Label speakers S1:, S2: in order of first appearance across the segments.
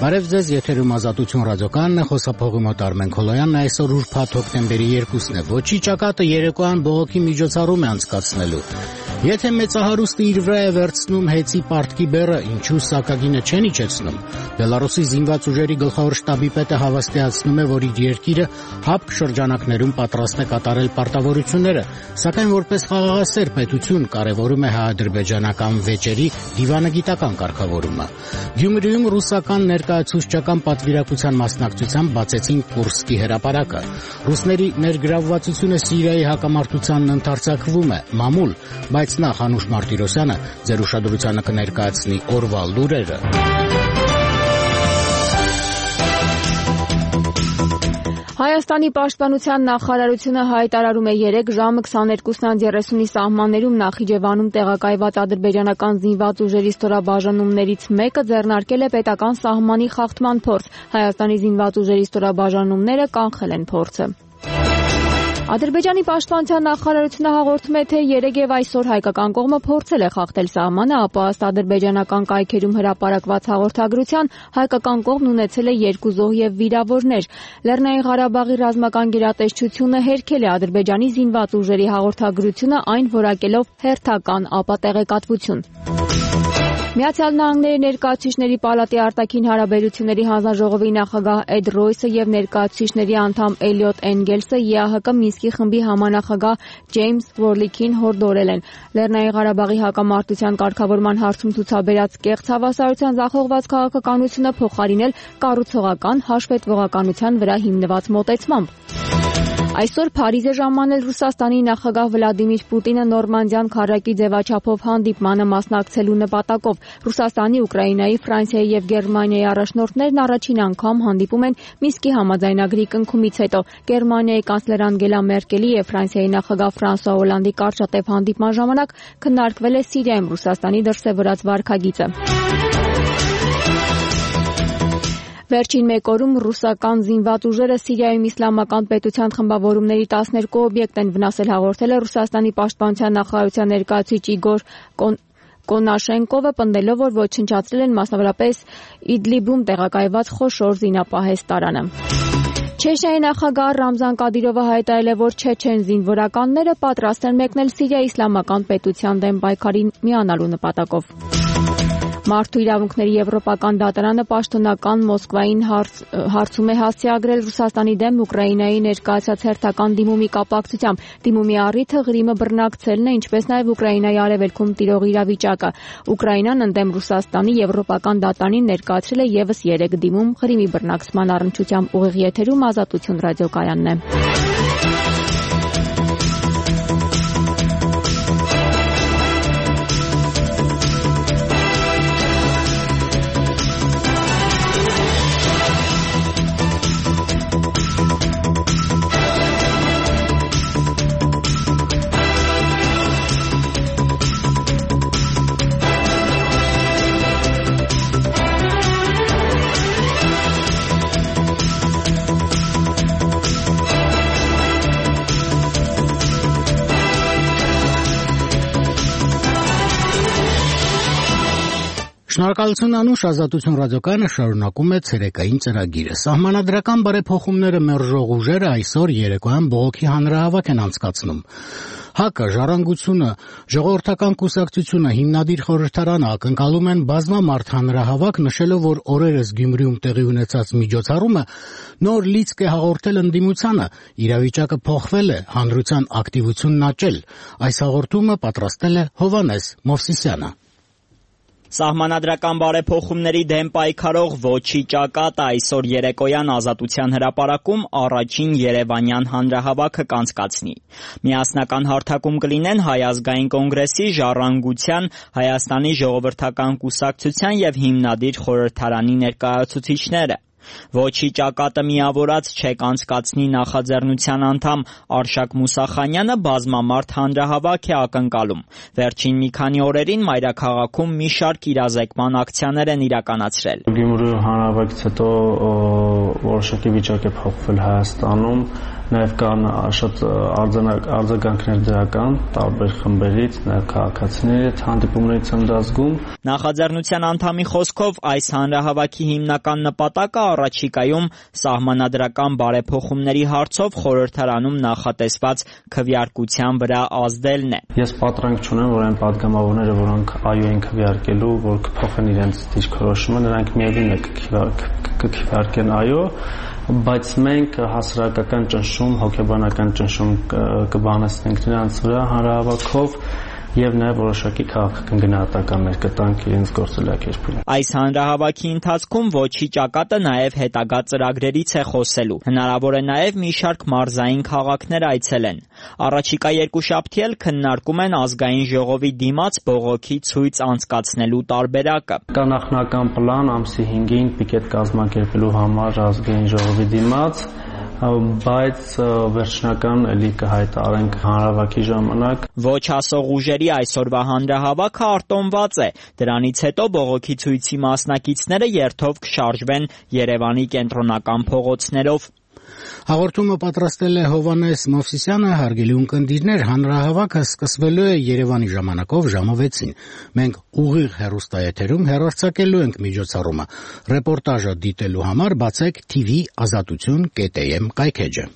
S1: Բարև ձեզ, եթերում Ազատություն ռադիոկայանն է, խոսափողի մոտ Արմեն Քոլոյանն է, այսօր ուրբաթ հոկտեմբերի 2-ն է, ոչի ճակատը երեկոյան բողոքի միջոցառում է անցկացնելու։ Եթե մեծահարուստը իր վրա է վերցնում հեծի պարտքի բեռը, ինչու սակագինը չեն իջեցնում։ Բելարուսի զինված ուժերի գլխավոր շտաբի պետը հավաստիացնում է, որ իր երկիրը հապկ շրջանակներում պատրաստ է կատարել պարտավորությունները, սակայն որպես խաղաղասեր պետություն կարևորում է հայ-ադրբեջանական վեճերի դիվանագիտական կարգավորումը։ Գյումրիում ռուսական ներկայացուցչական պատվիրակության մասնակցությամբ բացեցին Կուրսկի հրապարակը։ Ռուսների ներգրավվածությունը Սիրիայի հակամարտությանն ընդարձակվում է, մամուլ, բայց նախ Անուշ Մարտիրոսյանը ձեր ուշադրությանը կներկայացնի օրվա լուրերը։
S2: Հայաստանի պաշտպանության նախարարությունը հայտարարում է 3 ժամը 22:30-ի սահմաններում Նախիջևանում տեղակայված ադրբեջանական զինված ուժերի ստորաբաժանումներից մեկը ձեռնարկել է պետական սահմանի խախտման փորձ։ Հայաստանի զինված ուժերի ստորաբաժանումները կանխել են փորձը։ Ադրբեջանի պաշտպանության նախարարությունը հաղորդում է, թե երեգև այսօր հայկական կողմը փորձել է խախտել սահմանը, ապա ըստ ադրբեջանական կայքերում հրապարակված հաղորդագրության հայկական կողմն ունեցել է 2 զոհ եւ վիրավորներ։ Լեռնային Ղարաբաղի ռազմական գերատեսչությունը հերքել է Ադրբեջանի զինված ուժերի հաղորդագրությունը, այն որակելով հերթական ապատեղեկատվություն։ Միացյալ Նահանգների ներկայացուցիչների պալատի արտաքին հարաբերությունների հանձնաժողովի նախագահ Էդ Ռոյսը եւ ներկայացուցիչների անդամ Էլիոտ Էնգելսը ԵԱՀԿ Մինսկի խմբի համանախագահ Ջեյմս Վորլիքին հորդորել են։ Լեռնային Ղարաբաղի հակամարտության կարգավորման հարցում ցուցաբերած կեղծ հավասարության ձախողված քաղաքականությունը փոխարինել կառուցողական հաշվետվողականության վրա հիմնված մոտեցմամբ։ Այսօր Փարիզ է ժամանել Ռուսաստանի նախագահ Վլադիմիր Պուտինը Նորմանդյան քառակի ձևաչափով հանդիպմանը մասնակցելու նպատակով։ Ռուսաստանի, Ուկրաինայի, Ֆրանսիայի եւ Գերմանիայի առաջնորդներն առաջին անգամ հանդիպում են Մինսկի համաձայնագրի կնքումից հետո։ Գերմանիայի կանցլեր Անգելա Մերկելի եւ Ֆրանսիայի նախագահ Ֆրանսուଆ Օլանդի կարճատև հանդիպման ժամանակ քննարկվել է Սիրիայում Ռուսաստանի դրսևորած վարքագիծը։ Վերջին մեկ օրում ռուսական զինված ուժերը Սիրիայում իսլամական պետության խմբավորումների 12 օբյեկտ են վնասել, հաղորդել է Ռուսաստանի պաշտպանության նախարարության ներկայացուցիչ Իգոր Կոնաշենկովը, պնդելով, որ ոչնչացրել են մասնավորապես Իդլիբում տեղակայված խոշոր զինապահեստարանը։ Չեչնիայի նախագահ Ռամզան Կադիրովը հայտարարել է, որ չեչեն զինվորականները պատրաստ են մեկնել Սիրիայի իսլամական պետության դեմ պայքարին միանալու նպատակով։ Մարդու իրավունքների եվրոպական դատարանը պաշտոնական Մոսկվային հարցում է հասցեագրել Ռուսաստանի դեմ Ուկրաինայի ներկայացած հերթական դիմումի կապակցությամբ։ Դիմումի առիթը Ղրիմը բռնակցելն է, ինչպես նաև Ուկրաինայի արևելքում տիրող իրավիճակը։ Ուկրաինան ընդդեմ Ռուսաստանի եվրոպական դատարանին ներկայացրել է եւս 3 դիմում Ղրիմի բռնակցման առնչությամբ։ Ուղիղ եթերում Ազատություն ռադիոկայանն է։
S1: Շնորհակալություն Անուշ, Ազատություն ռադիոկայանը շարունակում է ցերեկային ծրագիրը։ Սահմանադրական բարեփոխումները մերժող ուժերը այսօր երեկոյան բողոքի հանրահավաք են անցկացնում։ ՀԱԿ-ը, Ժառանգությունը, Ժողովրդական կուսակցությունը, Հիմնադիր խորհրդարանը ակնկալում են բազմամարդ հանրահավաք, նշելով, որ օրերս Գյումրիում տեղի ունեցած միջոցառումը նոր լիցք է հաղորդել ընդդիմությանը, իրավիճակը փոխվել է, հանրության ակտիվությունն աճել։ Այս հաղորդումը պատրաստել է Հովհաննես Մովսիսյանը։
S3: Սահմանադրական բարեփոխումների դեմ պայքարող ոչի ճակատը այսօր երեկոյան Ազատության հրապարակում առաջին երևանյան հանրահավաքը կանցկացնի։ Միասնական հարթակում կլինեն Հայ ազգային կոնգրեսի, Ժառանգության, Հայաստանի ժողովրդական կուսակցության եւ Հիմնադիր խորհրդարանի ներկայացուցիչները։ Ոչի ճակատը միավորած չեք անցկացնի նախաձեռնության անդամ Արշակ Մուսախանյանը բազմամարդ հանրահավաք է ակնկալում։ Վերջին մի քանի օրերին մայրաքաղաքում մի շարք իրազեկման ակցիաներ են իրականացրել։
S4: Գյումրու հանրահավաքից հետո որոշակի վիճակ է փոխվել Հայաստանում Նաև կան շատ արձագանքներ դրական տարբեր խմբերից, նաև քաղաքացիների հետ հանդիպումներից եմ դա զգում։
S3: Նախաձեռնության անդամի խոսքով այս հանրահավաքի հիմնական նպատակը առաջիկայում սահմանադրական բարեփոխումների հարցով խորհրդարանում նախատեսված քվեարկության վրա ազդելն է։
S4: Ես պատրանք չունեմ, որ այն падգամավորները, որոնք այո են քվեարկելու, որ կփոխեն իրենց դիրքորոշումը, նրանք միևնույն է կքվեարկեն այո, բայց մենք հասարակական ճնշում, հոգեբանական ճնշում կբանեցնենք նրանց վրա հանրահավաքով եւ նաեւ որոշակի քաղաքական գնահատականներ կտանք իրենց գործելակերպին։
S3: Այս հանրահավաքի ընթացքում ոչի ճակատը նաեւ հետագա ծրագրերից է խոսելու։ Հնարավոր է նաեւ մի շարք մարզային քաղաքներ այցելեն։ Առաջիկա երկուշաբթի էլ քննարկում են ազգային ժողովի դիմաց բողոքի ցույց անցկացնելու տարբերակը։
S4: Կա նախնական պլան ամսի 5-ին պիկետ կազմակերպելու համար ազգային ժողովի դիմաց, բայց վերջնական էլի կհայտարարենք հանրահավաքի ժամանակ։
S3: Ոչ ասող ուժերի այսօրվա հանրահավաքը արտոնված է։ Դրանից հետո բողոքի ցույցի մասնակիցները երթով կշարժվեն Երևանի կենտրոնական փողոցներով։
S1: Հաղորդումը պատրաստել է Հովհաննես Մովսիսյանը, հարգելի ունկնդիրներ, հանրահավաքը սկսվելու է Երևանի ժամանակով ժամը 6-ին։ Մենք ուղիղ հեռուստաեթերում հեռարձակելու ենք միջոցառումը։ Ռեպորտաժը դիտելու համար բացեք tv.azatutun.am կայքէջը։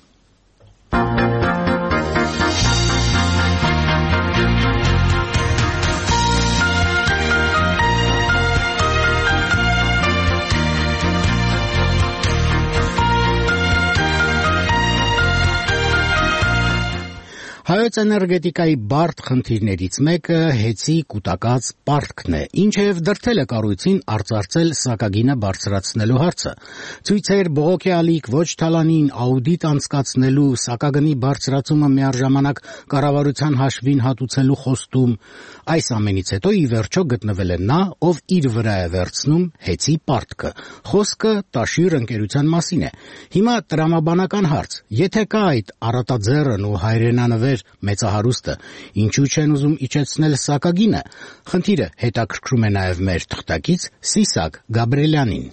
S1: Հայոց էներգետիկայի բարդ խնդիրներից մեկը հեծի կուտակած պարտքն է, ինչև դրդել է կառույցին արծարծել սակագինը բարձրացնելու հարցը։ Ցույցեր, բողոքի ալիք, ոչ թալանին, աուդիտ անցկացնելու, սակագնի բարձրացումը միառժամանակ կառավարության հաշվին հատուցելու խոստում։ Այս ամենից հետո ի վերջո գտնվել է նա, ով իր վրա է վերցնում հեծի պարտքը։ Խոսքը Տաշիր ընկերության մասին է։ Հիմա տրամաբանական հարց. եթե կա այդ առատաձեռն ու հայրենանվեր մեծահարուստը, ինչու չեն ուզում իջեցնել սակագինը։ Խնդիրը հետաքրքրում է նաև մեր թղթակից Սիսակ Գաբրելյանին։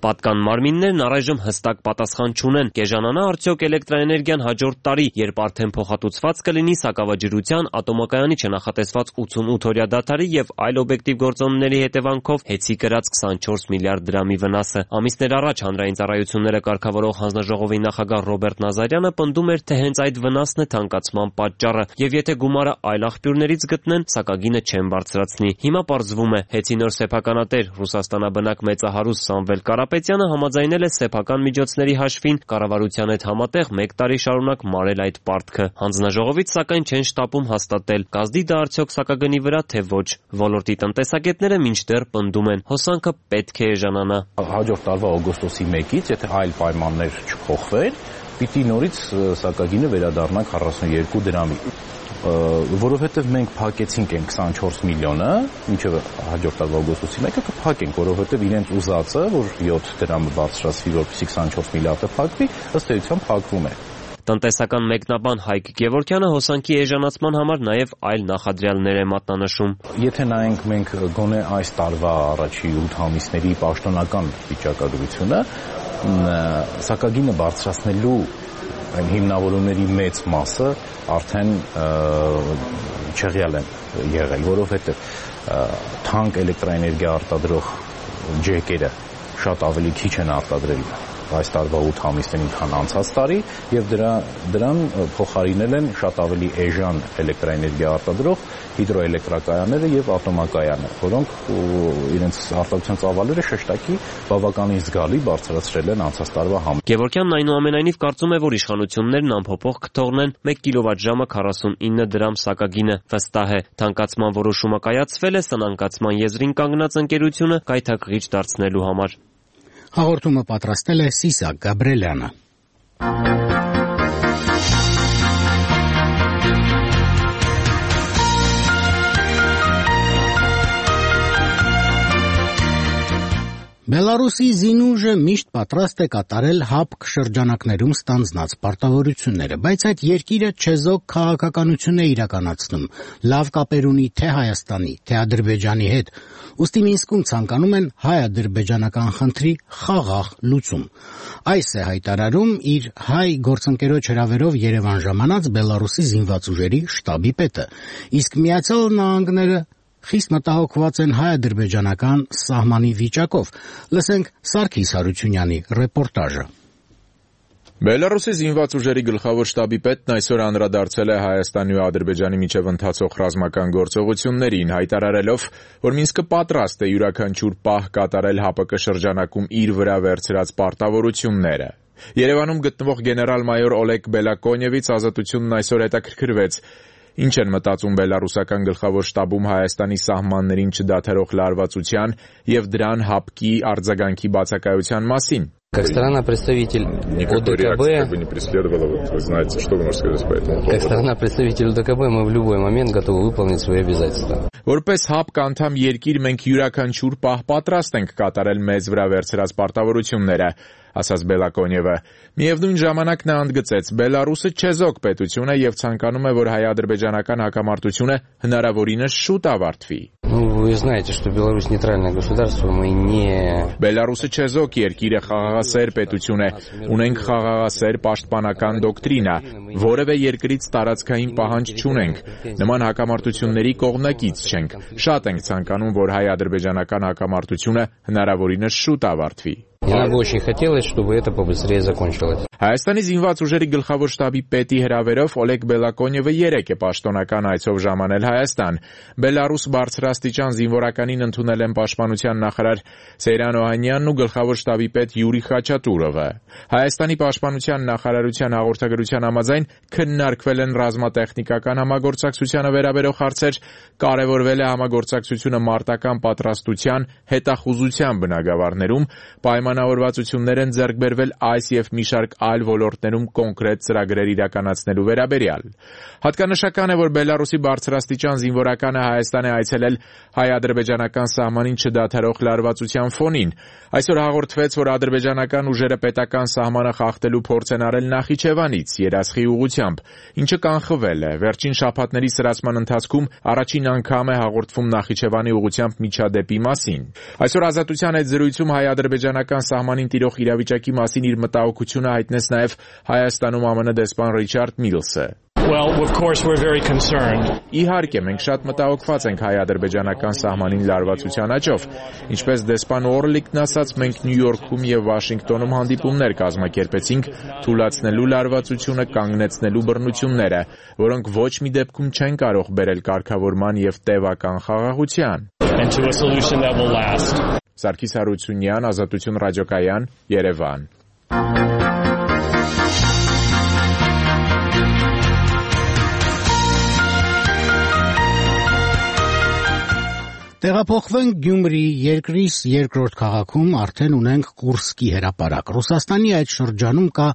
S5: Պատկան մարմիններն առայժմ հստակ պատասխան չունեն։ Կեժանանա արդյոք էլեկտրաէներգիան հաջորդ տարի, երբ արդեն փոխհատուցված կլինի Սակավաջրության ատոմակայանի չնախատեսված 88-օրյա դադարի եւ այլ օբյեկտիվ գործոնների հետևանքով հեծի կրած 24 միլիարդ դրամի վնասը։ Ամիսներ առաջ հանրային ծառայությունները կարգավորող հանձնաժողովի նախագահ Ռոբերտ Նազարյանը պնդում էր, թե հենց այդ վնասն է թանկացման պատճառը, եւ եթե գումարը այլ աղբյուրներից գտնեն, սակագինը չեն բարձրացնի։ Հիմա պարզվում է, հեծի նոր սեփականատեր Ռուսաստանաբնակ մեծահարուստ Սամվել Կարապետյանը համաձայնել է սեփական միջոցների հաշվին կառավարության հետ համատեղ 1 տարի շարունակ մարել այդ պարտքը։ Հանձնաժողովից սակայն չեն շտապում հաստատել, կազդի դա արդյոք սակագնի վրա, թե ոչ։ Ոլորտի տնտեսագետները մինչդեռ պնդում են, հոսանքը պետք է էժանանա։
S6: Հաջորդ տարվա օգոստոսի 1-ից, եթե այլ պայմաններ չփոխվեն, պիտի նորից սակագինը վերադառնա 42 դրամի։ Որովհետև մենք փակեցինք այն 24 միլիոնը, մինչև հաջորդ տարվա օգոստոսի 1-ը կփակենք, որովհետև իրենց ուզածը, որ 7 դրամը բարձրացվի, որպեսզի 24 միլիարդը փակվի, ըստ էության փակվում է։
S5: Տնտեսական մեկնաբան Հայկ Գևորգյանը հոսանքի էժանացման համար նաև այլ նախադրյալներ է մատնանշում։
S6: Եթե նայենք մենք գոնե այս տարվա առաջի 8 ամիսների պաշտոնական վիճակագրությունը, սակագինը բարձրացնելու այն հիմնավորումների մեծ մասը արդեն չեղյալ են եղել, որովհետև թանկ էլեկտրաէներգիա արտադրող ջեկերը շատ ավելի քիչ են արտադրել այս տարվա 8 ամիսներին, քան անցած տարի, եւ դրան փոխարինել են շատ ավելի էժան էլեկտրաէներգիա արտադրող հիդրոէլեկտրակայանները եւ ատոմակայանը, որոնք իրենց արտադրության ծավալները շեշտակի բավականին զգալի բարձրացրել են անցած տարվա համեմատ։
S5: Գևորգյանն այնուամենայնիվ կարծում է, որ իշխանություններն անփոփոխ կթողնեն 1 կիլովատժամը 49 դրամ սակագինը։ Վստահ է, թանկացման որոշումը կայացվել է սնանկացման եզրին կանգնած ընկերությունը գայթակղիչ դարձնելու համար։
S1: Հաղորդումը պատրաստել է Սիսակ Գաբրելյանը։ Բելարուսի զինուժը միշտ պատրաստ է կատարել ՀԱՊԿ շրջանակներում ստանձնած պարտավորությունները, բայց այդ երկիրը չեզոք քաղաքականություն է իրականացնում լավ կապեր ունի թե Հայաստանի, թե Ադրբեջանի հետ, ուստի Մինսկում ցանկանում են հայ-ադրբեջանական խնդրի խաղաղ լուծում։ Այս է հայտարարում իր հայ գործընկերոջ հրավերով Երևան ժամանած Բելարուսի զինված ուժերի շտաբի պետը, իսկ Միացյալ Նահանգները խիստ մտահոգված են հայ-ադրբեջանական սահմանի վիճակով։ Լսենք Սարգիս Հարությունյանի ռեպորտաժը։
S7: Բելարուսի զինված ուժերի գլխավոր շտաբի պետն այսօր անդրադարձել է Հայաստանի ու Ադրբեջանի միջև ընթացող ռազմական գործողություններին, հայտարարելով, որ Մինսկը պատրաստ է յուրաքանչյուր պահ կատարել ՀԱՊԿ շրջանակում իր վրա վերցրած պարտավորությունները։ Երևանում գտնվող գեներալ-մայոր Օլեգ Բելակոնևից Ազատությունն այսօր հետաքրքրվեց. Ինչ են մտածում բելարուսական գլխավոր շտաբում Հայաստանի սահմաններին չդադարող լարվածության եւ դրան ՀԱՊԿ-ի արձագանքի բացակայության մասին։
S8: Как страна-представитель ОДКБ, как страна-представитель ОДКБ, мы в любой момент готовы выполнить свои обязательства.
S7: Որպես ՀԱՊԿ անդամ երկիր մենք յուրաքանչյուր պահ պատրաստ ենք կատարել մեզ վրա վերցրած պարտավորությունները, ասաց Բելակոնևը։ Միևնույն ժամանակ նա ընդգծեց. Բելարուսը չեզոք պետություն է եւ ցանկանում է, որ հայ-ադրբեջանական հակամարտությունը հնարավորինս շուտ ավարտվի։
S8: Вы знаете, что Беларусь нейтральное государство, мы не...
S7: Բելարուսը չեզոք երկիր է, խաղաղասեր պետություն է, ունենք խաղաղասեր պաշտպանական դոկտրինա, որևէ երկրից տարածքային պահանջ չունենք, նման հակամարտությունների կողմնակից չենք, շատ ենք ցանկանում, որ հայ-ադրբեջանական հակամարտությունը հնարավորինս շուտ ավարտվի։
S8: Мне бы очень хотелось, чтобы это побыстрее закончилось.
S7: Հայաստանի զինված ուժերի գլխավոր շտաբի պետի հրավերով Օլեգ Բելակոնևը երեկ է պաշտոնական այցով ժամանել Հայաստան։ Բելարուս բարձրաստիճան զինվորականին ընդունել են պաշտպանության նախարար Սեյրան Օհանյանն ու գլխավոր շտաբի պետ Յուրի Խաչատուրովը։ Հայաստանի պաշտպանության նախարարության հաղորդագրության համաձայն քննարկվել են ռազմատեխնիկական համագործակցությանը վերաբերող հարցեր, կարևորվել է համագործակցությունը մարտական պատրաստության, հետախուզության բնագավառներում, պայմանավորվածություններ են ձեռք բերվել այս եւ մի շարք այլ ոլորտներում կոնկրետ ծրագրեր իրականացնելու վերաբերյալ։ Հատկանշական է, որ Բելարուսի բարձրաստիճան զինվորականը Հայաստան է այցելել հայ-ադրբեջանական սահմանին չդադարող լարվածության ֆոնին։ Այսօր հաղորդվեց, որ ադրբեջանական ուժերը պետական սահմանը խախտելու փորձ են արել Նախիջևանից երասխի ուղղությամբ, ինչը կանխվել է։ Վերջին շաբաթների սրացման ընթացքում առաջին անգամ է հաղորդվում Նախիջևանի ուղղությամբ միջադեպի մասին։ Այսօր Ազատության հետ զրույցում հայ-ադրբեջանական սահմանին տիրող իրավիճակի մասին իր մտահոգությունը հայտնեց նաև Հայաստանում ԱՄՆ դեսպան Ռիչարդ Միլսը։
S9: Well, of course we're very concerned.
S7: Իհարկե, մենք շատ մտահոգված ենք հայ-ադրբեջանական սահմանին լարվածության աճով։ Ինչպես դեսպան Օրլիկն ասաց, մենք Նյու Յորքում եւ Վաշինգտոնում հանդիպումներ կազմակերպեցինք թույլատնելու լարվածությունը, կանգնեցնելու բռնությունները, որոնք ոչ մի դեպքում չեն կարող բերել կարգավորման եւ տևական խաղաղության։
S9: And to a solution that will last.
S7: Սարգիս Հարությունյան, Ազատություն ռադիոկայան, Երևան։
S1: Տեղափոխվենք Գյումրի, երկրիս երկրորդ քաղաքում արդեն ունենք Կուրսկի հրապարակ։ Ռուսաստանի այդ շրջանում կա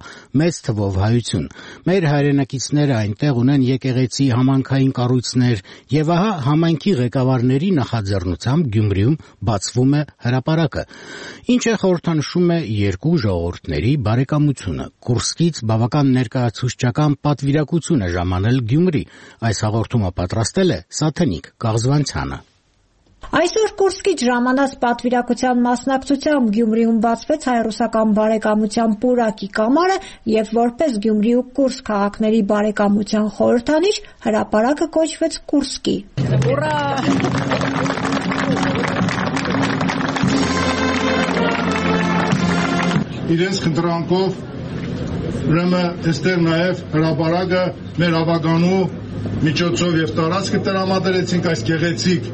S1: մեծ թվով հայություն։ Մեր հայրենակիցները այնտեղ ունեն եկեղեցի, համայնքային կառույցներ, եւ ահա համայնքի ղեկավարների նախաձեռնությամբ Գյումրիում բացվում է հրապարակը, ինչը խորհրդանշում է երկու ժողովուրդների բարեկամությունը։ Կուրսկից բավական ներկայացուցչական պատվիրակություն է ժամանել Գյումրի։ Այս հաղորդումը պատրաստել է Սաթենիկ Կաղզվանցյանը։
S10: Այսօր Կուրսկից ժամանած պատվիրակության մասնակցությամբ Գյումրիում բացվեց հայ-ռուսական բարեկամության պուրակի կամարը եւ որպես Գյումրի ու Կուրսկ քաղաքների բարեկամության խորհրդանիշ հրապարակը կոչվեց Կուրսկի։ Ուրա!
S11: Իրենց խնդրանքով ուրեմն այստեղ նաեւ հրապարակը մեր ավագանու միջոցով եւ տարածքը տրամադրեցինք այս գեղեցիկ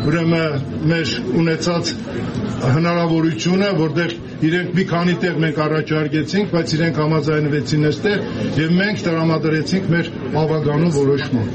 S11: ուրեմն մեր ունեցած հնարավորությունը, որտեղ իրենք մի քանի տեղ մենք առաջարկեցինք, բայց իրենք համաձայնվեցին այստեղ եւ մենք տրամադրեցինք մեր ավագանու որոշումը։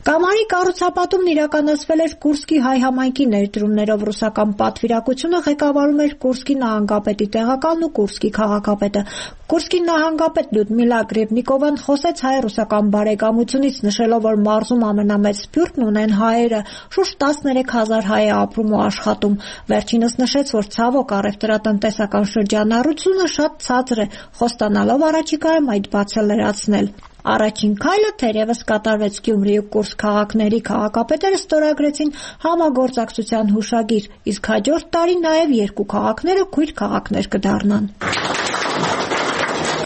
S10: Կամարի կառուցապատումն իրականացվել էր Կուրսկի հայ համայնքի ներդրումներով։ Ռուսական պատվիրակությունը ղեկավարում էր Կուրսկի նահանգապետի տեղակալն ու Կուրսկի քաղաքապետը։ Կուրսկի նահանգապետ Լյուդմիլա Գրեբնիկովան խոսեց հայ-ռուսական բարեկամությունից, նշելով, որ մարզում ամենամեծ սփյուռքն ունեն հայերը, շուրջ 13,000 հայ է ապրում ու աշխատում։ Վերջինս նշեց, որ ցավոք առևտրատնտեսական շրջանառությունը շատ ցածր է, խոստանալով առաջիկայում այդ բացը լրացնել։ Առաջին քայլը թերևս կատարվեց։ Գյումրի ու Կուրսկ քաղաքների քաղաքապետերը ստորագրեցին համագործակցության հուշագիր, իսկ հաջորդ տարի նաև երկու քաղաքները քույր քաղաքներ կդառնան։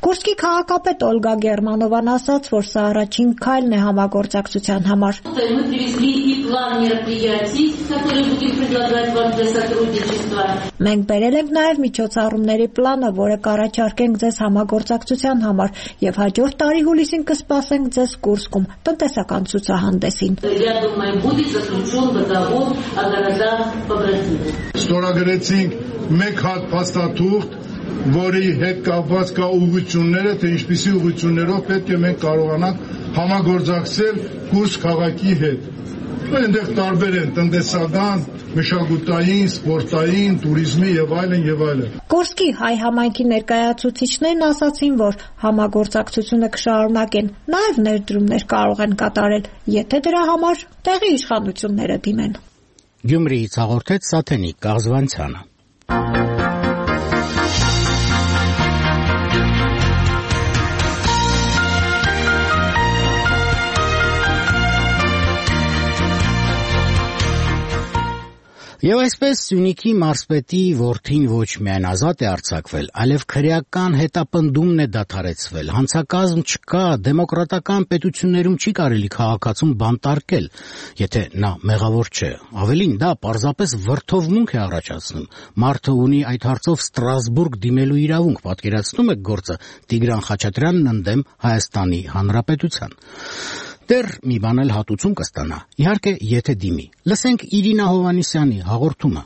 S10: Կուրսկի քաղաքապետ Օլգա Գերմանովան ասաց, որ սա առաջին քայլն է համագործակցության համար։ Մենք բերել ենք նաև միջոցառումների պլանը, որը կառաջարկենք ձեզ համագործակցության համար, եւ հաջորդ տարի հուլիսին կսպասենք ձեզ Կուրսկում տնտեսական ցուցահանդեսին։
S11: Ստորագրեցինք մեկ հատ փաստաթուղթ, որի հետ կապված կա ուղղությունները, թե ինչպիսի ուղղություններով պետք է մենք կարողանանք համագործակցել Կուրսկ քաղաքի հետ։ Այնտեղ տարբեր են տնտեսական, մշակութային, սպորտային, туриզմի եւ այլն եւ այլն։
S10: Կուրսկի հայ համայնքի ներկայացուցիչներն ասացին, որ համագործակցությունը կշարունակեն, նաեւ ներդրումներ կարող են կատարել, եթե դրա համար տեղի իշխանությունները դիմեն։
S1: Գյումրիից հաղորդեց Սաթենիկ Կաղզվանցյանը։ Եվ այսպես Սյունիքի մարզպետի որդին ոչ միայն ազատ է արձակվել, այլև քրեական հետապնդումն է դադարեցվել, հանցակազմ չկա, դեմոկրատական պետություններում չի կարելի քաղաքացուն բանտարկել, եթե նա մեղավոր չէ։ Ավելին, դա պարզապես վրդովմունք է առաջացնում։ Մարդը ունի այդ հարցով Ստրասբուրգ դիմելու իրավունք, պատկերացնում եք գործը Տիգրան Խաչատրյանն ընդդեմ Հայաստանի Հանրապետության։ Դեռ մի բան էլ հատուցում կստանա, իհարկե եթե դիմի։ Լսենք Իրինա Հովանիսյանի հաղորդումը։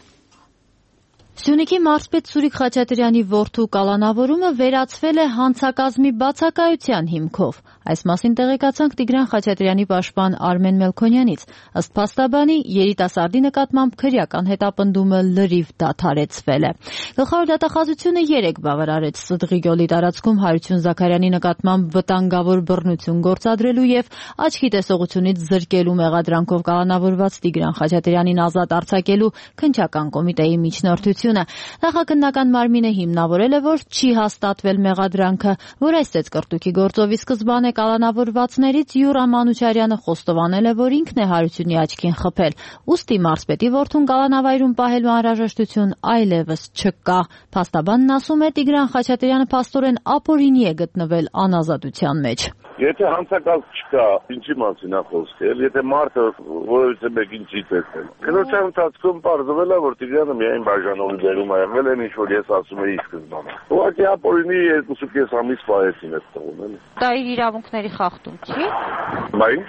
S12: Սյունիքի մարզպետ Սուրիկ Խաչատրյանի որդու կալանավորումը վերացվել է հանցակազմի բացակայության հիմքով։ Այս մասին տեղեկացանք Տիգրան Խաչատրյանի պաշտպան Արմեն Մելքոնյանից։ Ըստ փաստաբանի, երիտասարդի նկատմամբ քրեական հետապնդումը լրիվ դադարեցվել է։ Գլխավոր դատախազությունը 3 բավարարեց Սդղի գյուղի տարածքում Հարություն Զաքարյանի նկատմամբ վտանգավոր բռնություն գործադրելու եւ աչքի տեսողությունից զրկելու մեղադրանքով կալանավորված Տիգրան Խաչատրյանին ազատ արձակելու քննչական կոմիտեի միջնորդությունը։ Նախաքննական մարմինը հիմնավորել է, որ չի հաստատվել մեղադրանքը, որ այս ծեծկռտուքի գործով ի սկզբանե կալանավորվածներից Յուրա Մանուչարյանը խոստովանել է, որ ինքն է Հարությունի աչքին խփել։ Ուստի մարզպետի որդուն կալանավայրում պահելու անհրաժեշտություն այլևս չկա։ Փաստաբանն ասում է, Տիգրան Խաչատրյանը փաստորեն ապօրինի է գտնվել անազատության մեջ։
S13: Եթե հանցակազմ չկա, ինչի մասին է խոսքը, եթե մարդը որևիցե մեկին չի տեսել։ Քննության ընթացքում պարզվել է, որ Տիգրանը միայն բաժանողի դերում է եղել, այն ինչ որ ես ասում էի սկզբանե։ Ուղղակի ապօրինի 2.5 ամիս պահեցին այդ տղուն, էլի։
S12: Դա իր իրավունքների խախտում չի։
S13: Բա ինչ։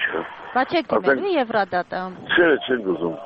S12: Բա չեք դիմելու Եվրադատը։
S13: Չենք ուզում։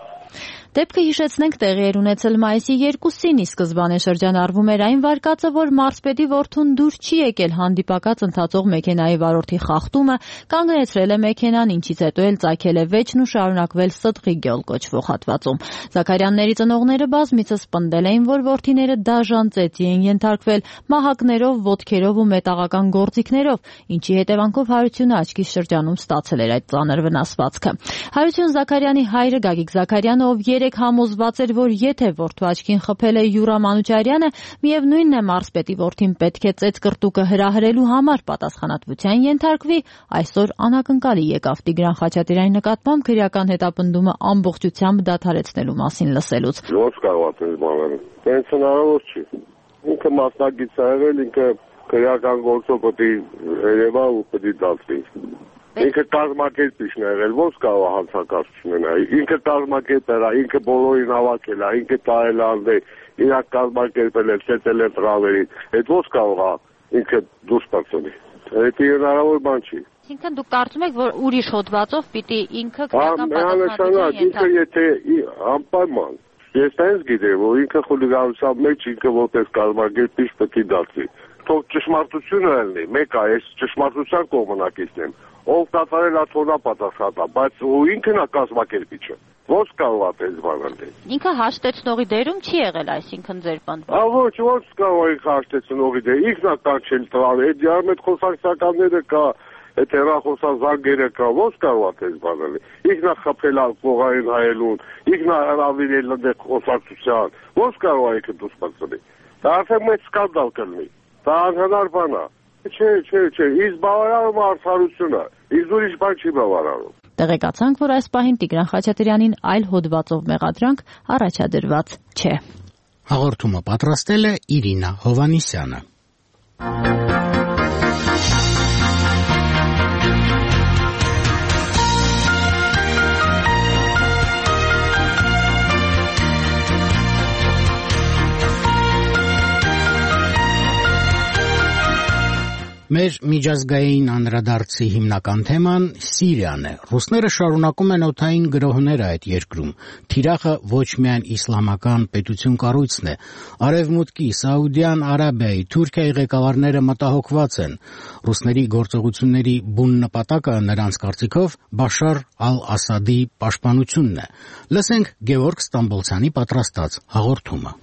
S12: Դեպքը հիշեցնենք տեղի էր ունեցել մայիսի 2-ին, ի սկզբանե շրջանառվում էր այն վարկածը, որ մարզպետի որդուն դուր չի եկել հանդիպակաց ընթացող մեքենայի վարորդի խախտումը, կանգնեցրել է մեքենան, ինչից հետո էլ ծագել է վեճն ու շարունակվել Սդղի գյուղ կոչվող հատվածում։ Զաքարյանների ծնողները բազմիցս պնդել էին, որ որդիները դաժան ծեծի են ենթարկվել մահակներով, ոտքերով ու մետաղական գործիքներով, ինչի հետևանքով Հարությունը աչքի շրջանում ստացել էր այդ ծանր վնասվածքը։ Հարություն Զաքարյանի հայրը Գագիկ Զաքարյանը, ով համոզված էր, որ եթե որդու աչքին խփել է Յուրա Մանուչարյանը, միևնույնն է մարզպետի որդին պետք է ծեծկռտուկը հրահրելու համար պատասխանատվության ենթարկվի, այսօր անակնկալի եկավ Տիգրան Խաչատրյանի նկատմամբ քրեական հետապնդումը ամբողջությամբ դադարեցնելու մասին լսելուց։
S13: Ո՞նց կարող է բանել։ Դենց հնարավոր չի։ Ինքը մասնագիծ է եղել, ինքը քրեական գործով պետք է երևա ու պետք է դատվի։ Ինքը կազմակերպիչն է եղել, ո՞նց կարող է հանցակացություն ունենալ։ Ինքը կազմակերպել է, ինքը բոլորին հավաքել է, ինքը տարել է անդե, իրակ կազմակերպել է, ցեցել է տրավերին։ Այդ ո՞նց կարող է ինքը դուրս բացել։ Դա հնարավոր բան չի։
S12: Այսինքն դուք կարծում եք, որ ուրիշ հոդվածով պիտի ինքը քրեական
S13: պատասխանատվություն ինքը եթե անպայման ես այնպես գիտեմ, որ ինքը խուլիգանության մեջ ինքը որպես կազմակերպիչ պետք է դատվի։ թող ճշմարտությունը ելնի, մեկ է, ես ճշմարտության կողմնակիցն եմ, ով կատարել է թողնա պատասխանատա, բայց ինքն է կազմակերպիչը, ոնց կարող է դες բանալ։
S12: Ինքը հաշտեցնողի դերում չի եղել, այսինքն ձեր պնդմամբ։
S13: Ոչ, ոնց կարող է հաշտեցնողի դեր, ինքն է կանչել տալ, այդ դիարմետ խոսակցականները կա, այդ հեռախոսազանգերը կա, ոնց կարող է դες բանալ։ Ինքն է խփել կողային հայելուն, ինքն է հրավիրել այնտեղ խոսակցության, ոնց կարող է ինքը դուրս բացել։ Դա արդեն մեծ սկանդալ կլինի։ Դա անհնար բան է։ Չէ, իսկ բավարարում է արդարությունը, իսկ ուրիշ բան չի բավարարում։
S12: Տեղեկացանք, որ այս պահին Տիգրան Խաչատրյանին այլ հոդվածով մեղադրանք առաջադրված չէ։
S1: Հաղորդումը պատրաստել է Իրինա Հովանիսյանը։ Մեր միջազգային անդրադարձի հիմնական թեման Սիրիան է։ Ռուսները շարունակում են օդային գրոհները այդ երկրում։ Թիրախը ոչ միայն իսլամական պետություն կառույցն է։ Արևմուտքի, Սաուդյան Արաբիայի, Թուրքիայի ղեկավարները մտահոգված են։ Ռուսների գործողությունների բուն նպատակը նրանց կարծիքով Բաշար ալ-Ասադի պաշտպանությունն է։ Լսենք Գևորգ Ստամբոլցյանի պատրաստած հաղորդումը։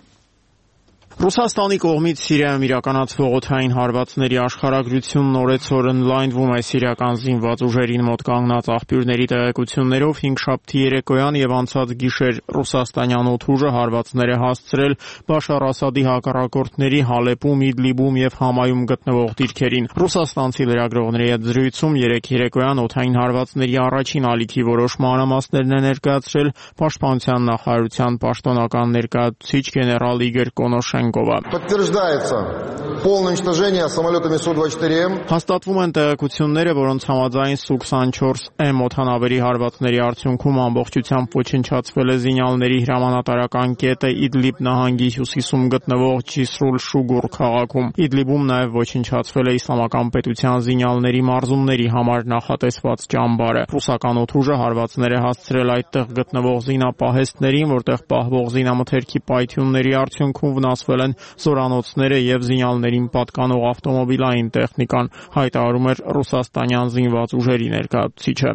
S14: Ռուսաստանի կողմից Սիրիայում իրականացվող օդային հարվածների աշխարհագրությունն օրեցօր ընդլայնվում է սիրիական զինված ուժերին մոտ կանգնած աղբյուրների տեղեկություններով հինգշաբթի երեկոյան եւ անցած գիշեր ռուսաստանյան օդուժը հարվածներ է հասցրել Բաշար Ասադի հակառակորդների Հալեպում, Իդլիբում եւ Համայում գտնվող դիրքերին։ Ռուսաստանցի լրագրողների հետ զրույցում երեկ երեկոյան օդային հարվածների առաջին ալիքի որոշ մանրամասներն է ներկայացրել Պաշտպանության նախարարության պաշտոնական ներկայացուցիչ գեներալ Իգոր Կոնոշեն
S15: Подтверждается полное уничтожение самолетами Су-24М.
S14: Հաստատվում են տեղեկությունները, որոնց համաձայն Սու-24M օդանավերի հարվածների արդյունքում ամբողջությամբ ոչնչացվել է զինյալների հրամանատարական կետը Իդլիբ նահանգի հյուսիսում գտնվող Ջիսրուլ Շուգուր քաղաքում։ Իդլիբում նաև ոչնչացվել է իսլամական պետության զինյալների մարզումների համար նախատեսված ճամբարը։ Ռուսական օդուժը հարվածներ է հասցրել այդտեղ գտնվող զինապահեստներին, որտեղ պահվող զինամթերքի պայթյունների արդյունքում վնասվել են զորանոցները եւ զինյալներին պատկանող ավտոմոբիլային տեխնիկան, հայտարարում էր ռուսաստանյան զինված ուժերի ներկայացուցիչը։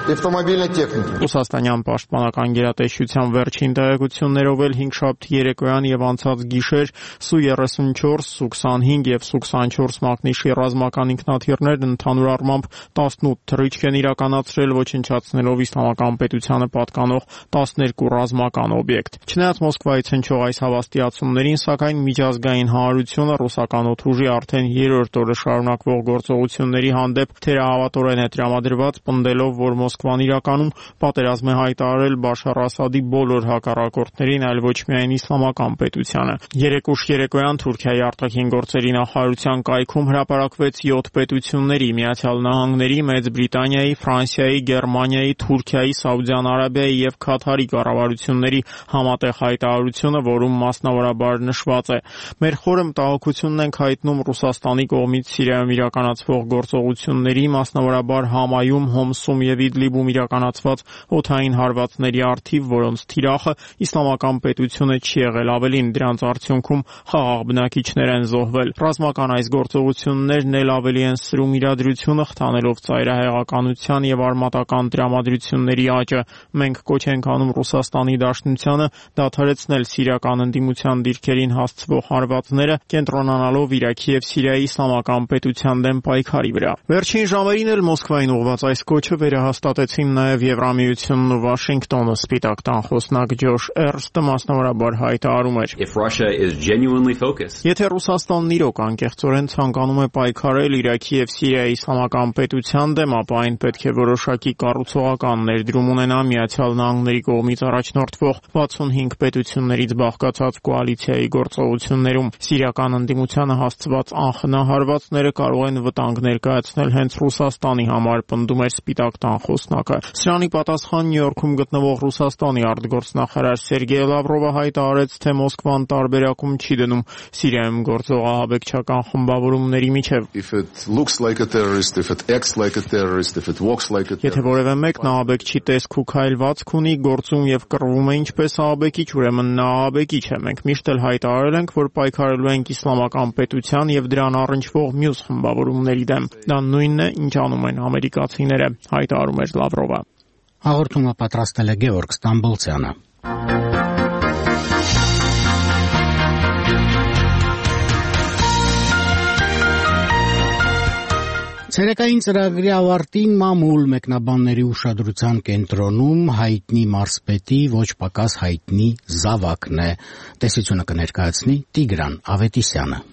S14: Ռուսաստանյան պաշտպանական գերատեսչության վերջին տեղեկություններով էլ հինգշաբթի երեկոյան եւ անցած գիշեր Սու-34, Սու-25 եւ Սու-24 մակնիշի ռազմական ինքնաթիռներն ընդհանուր առմամբ 18 թռիչք են իրականացրել, ոչնչացնելով իսլամական պետությանը պատկանող 12 ռազմական օբյեկտ։ Չնայած Մոսկվայից հնչող այս հավաստիացումներին, սակայն միջազգային հանրությունը ռուսական օդուժի արդեն երրորդ օրը շարունակվող գործողությունների հանդեպ թերահավատորեն է տրամադրված, պնդելով, որ Մոսկվան իրականում պատերազմ է հայտարարել Բաշար Ասադի բոլոր հակառակորդներին, այլ ոչ միայն իսլամական պետությանը։ Երեկուշ երեկոյան Թուրքիայի արտաքին գործերի նախարարության կայքում հրապարակվեց 7 պետությունների՝ Միացյալ Նահանգների, Մեծ Բրիտանիայի, Ֆրանսիայի, Գերմանիայի, Թուրքիայի, Սաուդյան Արաբիայի եւ Քաթարի կառավարությունների համատեղ հայտարարությունը, որում մասնավորաբար նշված է. «Մեր խորը մտահոգությունն ենք հայտնում Ռուսաստանի կողմից Սիրիայում իրականացվող գործողությունների, մասնավորաբար Համայում, Հոմսում եւ Իդլիբում իրականացված օդային հարվածների առթիվ, որոնց թիրախը իսլամական պետությունը չի եղել, ավելին դրանց արդյունքում խաղաղ բնակիչներ են զոհվել։ Ռազմական այս գործողություններն էլ ավելի են սրում իրադրությունը, խթանելով ծայրահեղականության եւ արմատական տրամադրությունների աճը։ Մենք կոչ ենք անում Ռուսաստանի Դաշնությանը դադարեցնել սիրիական ընդդիմության դիրքերին հասցվող հարվածները, կենտրոնանալով Իրաքի եւ Սիրիայի իսլամական պետության դեմ պայքարի վրա»։ Վերջին ժամերին էլ Մոսկվային ուղղված այս կոչը վերահաստատեցին նաեւ Եվրամիությունն ու Վաշինգտոնը։ Սպիտակ տան խոսնակ Ջոշ Էրստը մասնավորաբար հայտարարում էր. «Եթե Ռուսաստանն իրոք անկեղծորեն ցանկանում է պայքարել Իրաքի եւ Սիրիայի իսլամական պետության դեմ, ապա այն պետք է որոշակի կառուցողական ներդրում ունենա Միացյալ Նահանգների կողմից առաջնորդվող 65 պետություններից բաղկացած կոալիցիայի գործողություններում։ Սիրիական ընդդիմությանը հասցված անխնա հարվածները կարող են վտանգ ներկայացնել հենց Ռուսաստանի համար», պնդում էր Սպիտակ տան խոսնակը։ Սրանի պատասխան Նյու Յորքում գտնվող Ռուսաստանի արտգործնախարար Սերգեյ Լավրովը հայտարարեց, թե Մոսկվան տարբերակում չի դնում Սիրիայում գործող ահաբեկչական խմբավորումների միջև։ Եթե որևէ մեկն ահաբեկչի տեսք ու քայլվածք ունի, գործում եւ կռվում է ինչպես ահաբեկիչ, ուրեմն նա ահաբեկիչ է։ Մենք միշտ էլ հայտարարել ենք, ենք, որ պայքարելու ենք իսլամական պետության եւ դրան առնչվող մյուս խմբավորումների դեմ։ Դա նույնն է, ինչ անում են ամերիկացիները, հայտարարում էր Լավրովը։
S1: Հաղորդումը պատրաստել է Գևորգ Ստամբոլցյանը։ Ցերեկային ծրագրի ավարտին մամուլ մեկնաբանների ուշադրության կենտրոնում հայտնի մարզպետի ոչ պակաս հայտնի զավակն է։ Տեսությունը կներկայացնի Տիգրան Ավետիսյանը։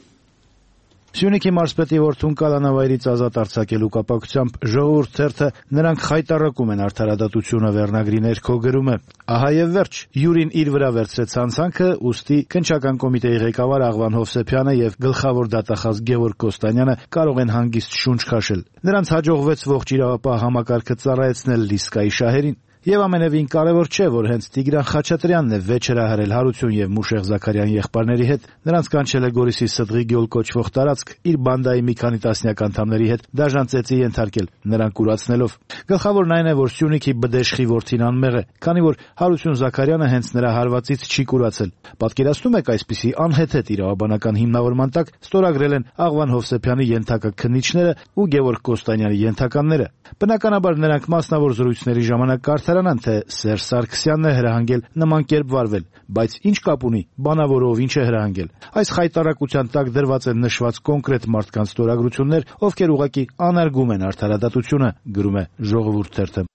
S16: Սյունիքի մարզպետի որդուն կալանավայրից ազատ արձակելու կապակցությամբ Ժողովուրդ թերթը նրանք խայտառակում են արդարադատությունը վերնագրի ներքո գրում է. Ահա եւ վերջ, Յուրին իր վրա վերցրեց հանցանքը, ուստի քննչական կոմիտեի ղեկավար Աղվան Հովսեփյանը եւ գլխավոր դատախազ Գևորգ Կոստանյանը կարող են հանգիստ շունչ քաշել։ Նրանց հաջողվեց ողջ իրավապահ համակարգը ծառայեցնել Լիսկայի շահերին։ Եվ ամենևին կարևոր չէ, որ հենց Տիգրան Խաչատրյանն է վեճ հրահրել Հարություն եւ Մուշեղ Զաքարյան եղբայրների հետ, նրանց կանչել է Գորիսի Սդղի գյուլ կոչվող տարածք, իր բանդայի մի քանի տասնյակ անդամների հետ դաժան ծեծի ենթարկել, նրանք կուրացնելով։ Գլխավորն այն է, որ Սյունիքի բդեշխի որդին անմեղ է, քանի որ Հարություն Զաքարյանը հենց նրա հարվածից չի կուրացել։ Պատկերացնում եք այսպիսի անհեթեթ իրավաբանական հիմնավորման տակ ստորագրել են Աղվան Հովսեփյանի ենթակա քննիչները ու Գևորգ Կոստանյանի ենթականները։ Բնականաբար նրանք մասնավոր զրույցների ժամանակ կարդարանան, թե Սերժ Սարգսյանն է հրահանգել նման կերպ վարվել, բայց ինչ կապ ունի բանավորով ինչ է հրահանգել։ Այս խայտառակության տակ դրված են նշված կոնկրետ մարդկանց ստորագրություններ, ովքեր ուղղակի անարգում են արդարադատությունը, գրում է Ժողովուրդ թերթը։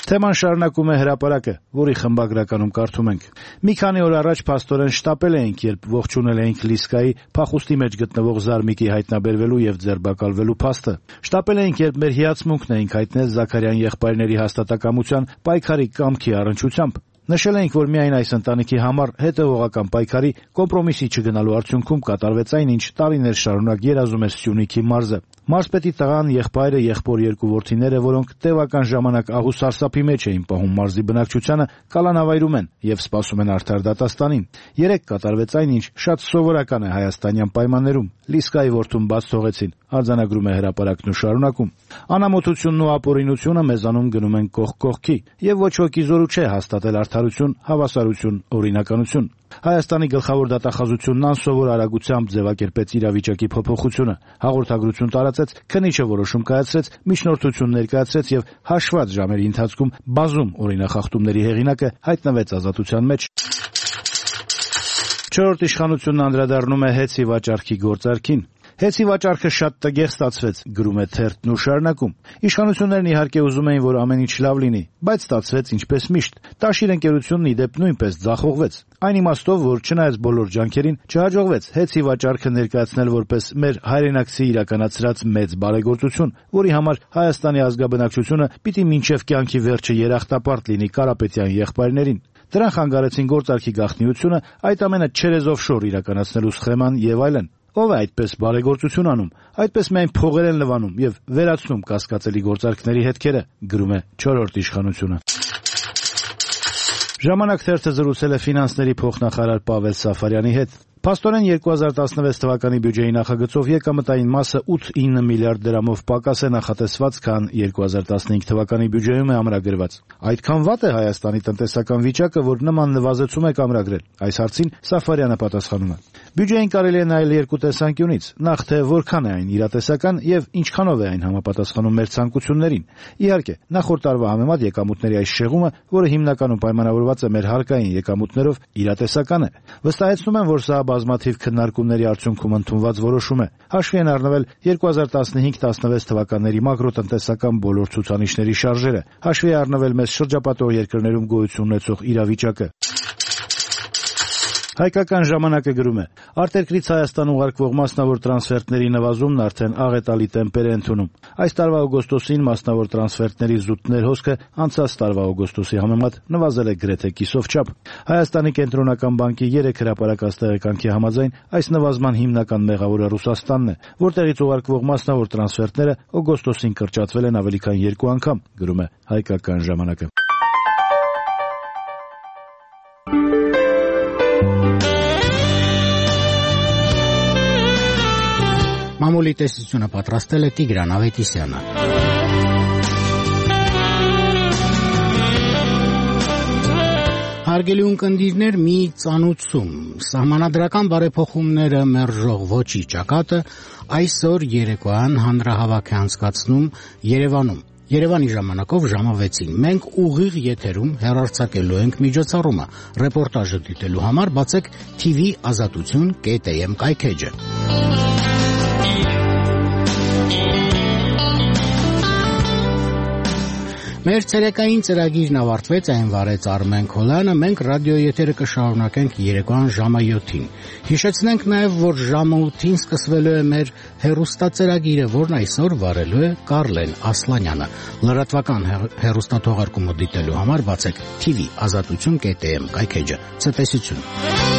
S16: Թեման շարունակում է հրապարակը, որի խմբագրականում կարդում ենք. Մի քանի օր առաջ փաստորեն շտապել էինք, երբ ողջունել էինք Լիսկայի փախուստի մեջ գտնվող Զարմիկի հայտնաբերվելու եւ ձերբակալվելու փաստը։ Շտապել էինք, երբ մեր հիացմունքն էինք հայտնել Զաքարյան եղբայրների հաստատակամության պայքարի կամքի առնչությամբ։ Նշել էինք, որ միայն այս ընտանիքի համար հետևողական պայքարի կոմպրոմիսի չգնալու արդյունքում կատարվեց այն, ինչ տարիներ շարունակ երազում էր Սյունիքի մարզը։ Մարզպետի տղան, եղբայրը, եղբոր երկու որդիները, որոնք տևական ժամանակ ահ ու սարսափի մեջ էին պահում մարզի բնակչությանը, կալանավայրում են եւ սպասում են արդար դատաստանին։ Երեք կատարվեց այն, ինչ շատ սովորական է հայաստանյան պայմաններում։ Լիսկայի որդուն բաց թողեցին, արձանագրում է հրապարակն ու շարունակում։ Անամոթությունն ու ապօրինությունը մեզանում գնում են կողք կողքի, եւ ոչ ոքի զորու չէ հաստատել արդարություն, հավասարություն, օրինականություն։ Հայաստանի գլխավոր դատախազությունն անսովոր արագությամբ ձևակերպեց իրավիճակի փոփոխությունը, հաղորդագրություն տարածեց, քննիչը որոշում կայացրեց, միջնորդություն ներկայացրեց եւ հաշված ժամերի ընթացքում բազում օրինախախտումների հեղինակը հայտնվեց ազատության մեջ։ Չորրորդ իշխանությունն անդրադառնում է հեծի վաճառքի գործարքին։ Հեծի վաճառքը շատ տգեղ ստացվեց, գրում է թերթն ու շարունակում։ Իշխանություններն իհարկե ուզում էին, որ ամեն ինչ լավ լինի, բայց ստացվեց ինչպես միշտ։ Տաշիր ընկերությունն ի դեպ նույնպես ձախողվեց։ Այն իմաստով, որ չնայած բոլոր ջանքերին չհաջողվեց հեծի վաճառքը ներկայացնել որպես մեր հայրենակցի իրականացրած մեծ բարեգործություն, որի համար Հայաստանի ազգաբնակչությունը պիտի մինչև կյանքի վերջը երախտապարտ լինի Կարապետյան եղբայրներին։ Դրան խանգարեցին գործարքի գաղտնիությունը, այդ ամենը չերեզով շոր իրականացնելու սխեման եւ այլն։ Ով է այդպես բարեգործություն անում, այդպես միայն փողեր են լվանում եւ վերացնում կասկածելի գործարքների հետքերը, գրում է չորրորդ իշխանությունը։ Ժամանակ թերթը զրուցել է ֆինանսների փոխնախարար Պավել Սաֆարյանի հետ։ Փաստորեն 2016 թվականի բյուջեի նախագծով եկամտային մասը 8-9 միլիարդ դրամով պակաս է նախատեսված, քան 2015 թվականի բյուջեում է ամրագրված։ Այդքան վատ է Հայաստանի տնտեսական վիճակը, որ նման նվազեցում է ամրագրել։ Այս հարցին Սաֆարյանը պատասխանում է. Բյուջեին կարելի է նայել երկու տեսանկյունից. նախ թե որքան է այն իրատեսական եւ ինչքանով է այն համապատասխանում մեր ցանկություններին։ Իհարկե, նախորդ տարվա համեմատ եկամուտների այս շեղումը, որը հիմնականում պայմանավորված է մեր հարկային եկամուտներով, իրատեսական է։ Վստահեցնում եմ, որ սա բազմաթիվ քննարկումների արդյունքում ընդունված որոշում է։ Հաշվի են առնվել 2015-16 թվականների մակրոտնտեսական բոլոր ցուցանիշների շարժերը, հաշվի է առնվել մեզ շրջապատող երկրներում գոյություն ունեցող իրավիճակը։ Հայկական ժամանակը գրում է. արտերկրից Հայաստան ուղարկվող մասնավոր տրանսֆերտների նվազումն արդեն աղետալի տեմպեր է ընդունում։ Այս տարվա օգոստոսին մասնավոր տրանսֆերտների զուտներ հոսքը անցած տարվա օգոստոսի համեմատ նվազել է գրեթե կիսով չափ։ Հայաստանի կենտրոնական բանկի 3 հրապարակած տեղեկանքի համաձայն այս նվազման հիմնական մեղավորը Ռուսաստանն է, որտեղից ուղարկվող մասնավոր տրանսֆերտները օգոստոսին կրճատվել են ավելի քան 2 անգամ, գրում է Հայկական ժամանակը։
S1: Մամուլի տեսությունը պատրաստել է Տիգրան Ավետիսյանը։ Հարգելի ունկնդիրներ, մի ծանուցում սահմանադրական բարեփոխումները մերժող ոչի ճակատը այսօր երեկոյան հանրահավաք է անցկացնում Երևանում։ Երևանի ժամանակով ժամը 6-ին մենք ուղիղ եթերում հեռարձակելու ենք միջոցառումը։ Ռեպորտաժը դիտելու համար բացեք TV Azatutun.am կայքեջը։ Մեր ցերեկային ծրագիրն ավարտվեց, այն վարեց Արմեն Քոլյանը, մենք ռադիոեթերը կշարունակենք երեկոյան ժամը 7-ին։ Հիշեցնենք նաև, որ ժամը 8-ին սկսվելու է մեր հեռուստածրագիրը, որն այսօր վարելու է Կարլեն Ասլանյանը։ Լրատվական հեռուստաթողարկումը դիտելու համար բացեք TV Azatutun.am կայքեջը։ Ցտեսություն։